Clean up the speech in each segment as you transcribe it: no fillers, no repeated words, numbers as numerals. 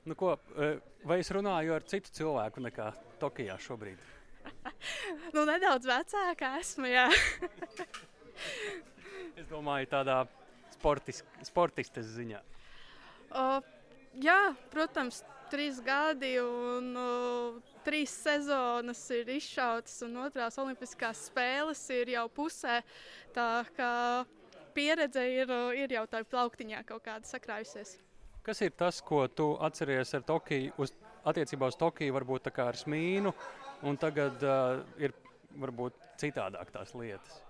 Nu, ko, vai es runāju ar citu cilvēku nekā Tokijā šobrīd? Nu, nedaudz vecāka esmu, jā. Es domāju, tādā sportistes ziņā. O, jā, protams, 3 gadi un 3 sezonas ir izšautas un otrās olimpiskās spēles ir jau pusē. Tā kā pieredze ir jau tā plauktiņā kaut kāda sakrājusies. Kas ir tas, ko tu atceries ar Tokiju, attiecībā uz Tokiju, varbūt tā kā ar smīnu, un tagad ir varbūt citādāk tās lietas?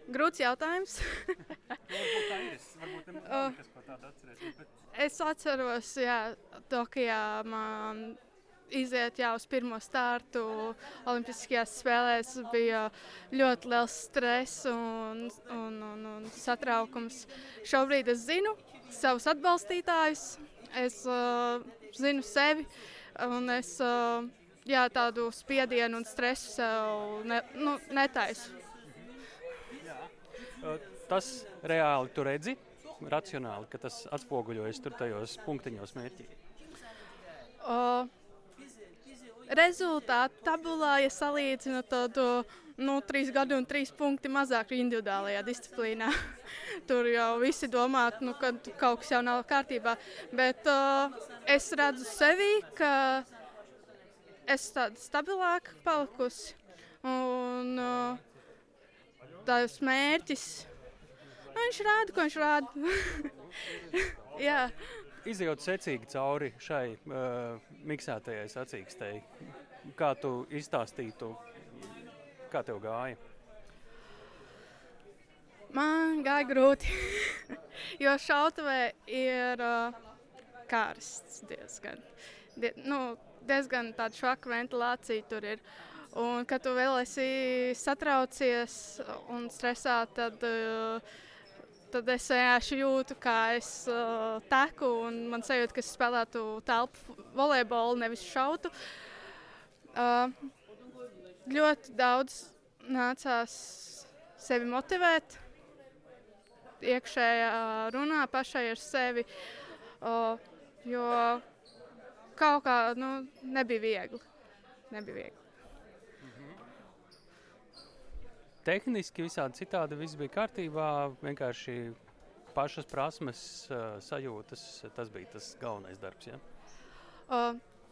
Grūts jautājums. Varbūt tā ir. Varbūt nekas, ko tādu atceries. Bet... Es atceros, jā, Tokijā man iziet jau uz pirmo startu Olimpiskajās spēlēs bija ļoti liels stress un satraukums. Šobrīd es zinu savus atbalstītājus, es zinu sevi un es tādu spiedienu un stresu sev netaisu. Tas reāli tu redzi, racionāli, ka tas atspoguļojas tur tajos punktiņos mērķī? Rezultātu tabulā, ja salīdzinu, tad 3 gadi un 3 punkti mazāk individuālajā disciplīnā. Tur jau visi domā, ka kaut kas jau nav kārtībā. Bet es redzu sevi, ka es tāda stabilāka palikusi. Un tās mērķis, viņš rāda, ko viņš rāda. Jā. Izejot secīgi cauri šai miksētajai sacīkstei, kā tu izstāstītu, kā tev gāja? Man gāja grūti, jo šautavē ir karsts diezgan. Diezgan tāda švaka ventilācija tur ir. Un, kad tu vēl esi satraucies un stresā, tad es vienkārši jūtu, kā es teku un man sajūta, ka es spēlētu telpu volejbolu, nevis šautu. Ļoti daudz nācās sevi motivēt, iekšējā runā pašai ar sevi, jo kaut kā nebija viegli. Tehniski visādi citādi viss bija kārtībā, vienkārši pašas prasmes, sajūtas, tas bija tas galvenais darbs, ja?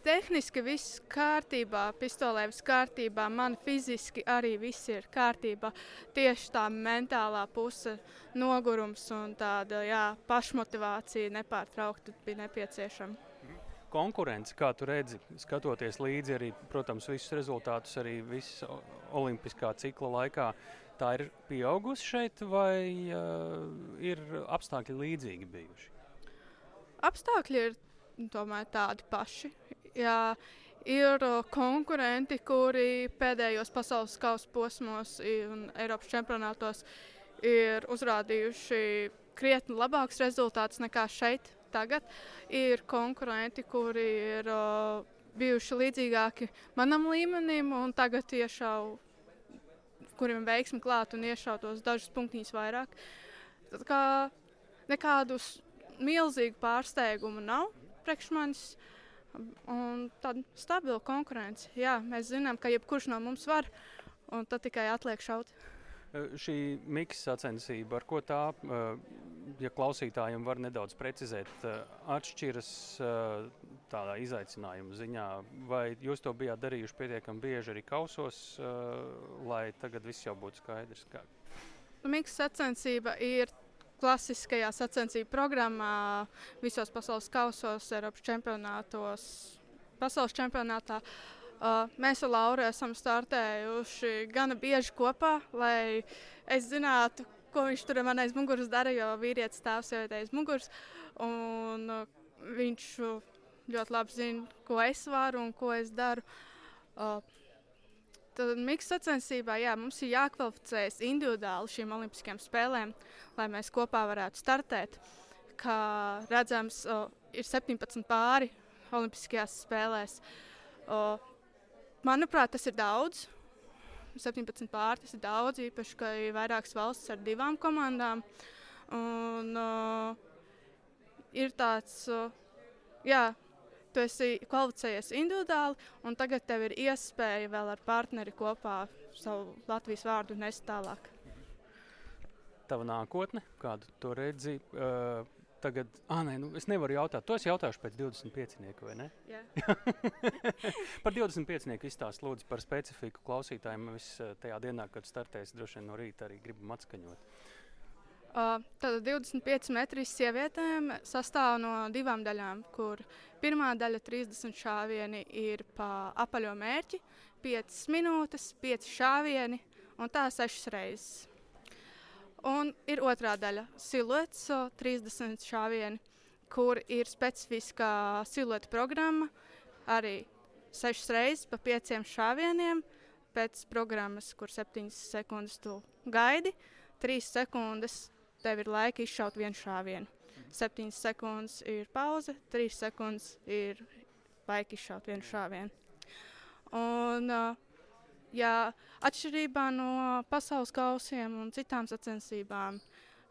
Tehniski viss kārtībā, pistolē viss kārtībā, man fiziski arī viss ir kārtībā. Tieši tā mentālā puse, nogurums un tāda pašmotivācija nepārtraukti bija nepieciešama. Konkurence, kā tu redzi, skatoties līdzi arī, protams, visus rezultātus arī visu olimpiskā cikla laikā, tā ir pieaugusi šeit vai ir apstākļi līdzīgi bijuši? Apstākļi ir tomēr tādi paši. Jā, ir konkurenti, kuri pēdējos pasaules kausa posmos un Eiropas čempionātos ir uzrādījuši krietni labāks rezultāts nekā šeit. Tagad ir konkurenti, kuri ir bijuši līdzīgāki manam līmenim un tagad kuriem veiksmi klāt un iešautos dažus punktiņus vairāk. Tad kā nekādu milzīgu pārsteigumu nav priekš manis un tāda stabila konkurence. Jā, mēs zinām, ka jebkurš no mums var un tad tikai atliek šaut. Šī miksa sacensība, ar ko tā, ja klausītājiem var nedaudz precizēt, atšķiras tādā izaicinājuma ziņā, vai jūs to bijāt darījuši pietiekami bieži arī kausos, lai tagad viss jau būtu skaidrs? Miksa sacensība ir klasiskajā sacensību programmā visos pasaules kausos, Eiropas čempionātos, pasaules čempionātā. Mēs ar Lauru esam startējuši gana bieži kopā, lai es zinātu, ko viņš tur man aiz muguras dara, jo vīrietis stāv sievietei aiz muguras. Un viņš ļoti labi zina, ko es varu un ko es daru. Tad miksa sacensībā mums ir jākvalificējas individuāli šīm olimpiskajām spēlēm, lai mēs kopā varētu startēt. Kā redzams, ir 17 pāri olimpiskajās spēlēs. Manuprāt, tas ir daudz. 17 pāri, tas ir daudz, īpaši, ka ir vairākas valstis ar 2 komandām. Un, ir tāds, jā, tu esi kvalificējies individuāli, un tagad tev ir iespēja vēl ar partneri kopā savu Latvijas vārdu nest tālāk. Tava nākotne, kādu to redzi? Tagad, es nevaru jautāt. To es jautāšu pēc 25-nieka, vai ne? Jā. Par 25-nieku izstāst lūdzu par specifiku klausītājiem. Es tajā dienā, kad startēs, droši vien no rīta arī gribam atskaņot. Tad 25 metri sievietēm sastāv no 2 daļām, kur pirmā daļa 30 šāvieni ir pa apaļo mērķi, 5 minūtes, 5 šāvieni un tā 6 reizes. Un ir otrā daļa siluets, 30 šāvieni, kur ir specifiskā silueta programma, arī 6 reizes pa 5 šāvieniem, pēc programmas, kur 7 sekundes tu gaidi, 3 sekundes tev ir laika izšaut vienu šāvienu. 7 sekundes ir pauze, 3 sekundes ir laika izšaut vienu šāvienu. Un, atšķirībā no pasaules kausiem un citām sacensībām,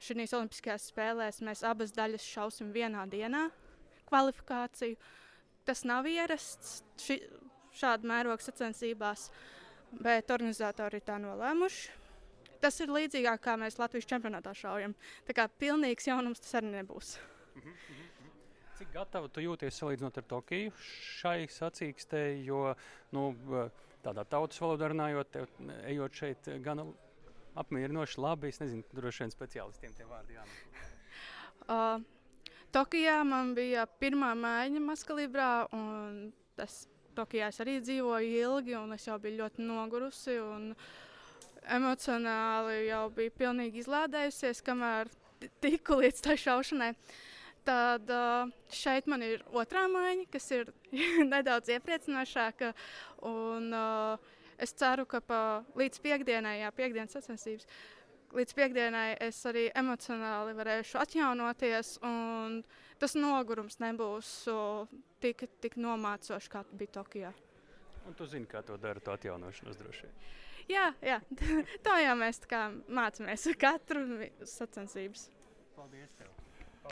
šīs olimpiskajās spēlēs mēs abas daļas šausim vienā dienā kvalifikāciju. Tas nav ierasts šāda mēroga sacensībās, bet organizatori ir tā nolēmuši. Tas ir līdzīgāk, kā mēs Latvijas čempionātā šaujam. Tā kā pilnīgs jaunums tas arī nebūs. Cik gatava tu jūties salīdzinot ar Tokiju šai sacīkstei, jo tādā tautas valodā runājot, ejot šeit gan apmierinoši labi, es nezinu, droši vien speciālistiem tie vārdi jānāk. Tokijā man bija pirmā maiņa mazkalibrā, un Tokijā es arī dzīvoju ilgi, un es jau biju ļoti nogurusi, un emocionāli jau biju pilnīgi izlādējusies, kamēr tiku līdz tai šaušanai. Tad šeit man ir otrā maiņa, kas ir nedaudz iepriecinošāka. Un, es ceru, ka līdz piekdienai, piekdienas sacensības, līdz piekdienai es arī emocionāli varēšu atjaunoties. Un tas nogurums nebūs tik nomācošs, kā bija Tokijā. Un tu zini, kā to dara, to atjaunošanos droši vien. Jā, tā jau mēs mācāmies katru sacensības. Paldies tev!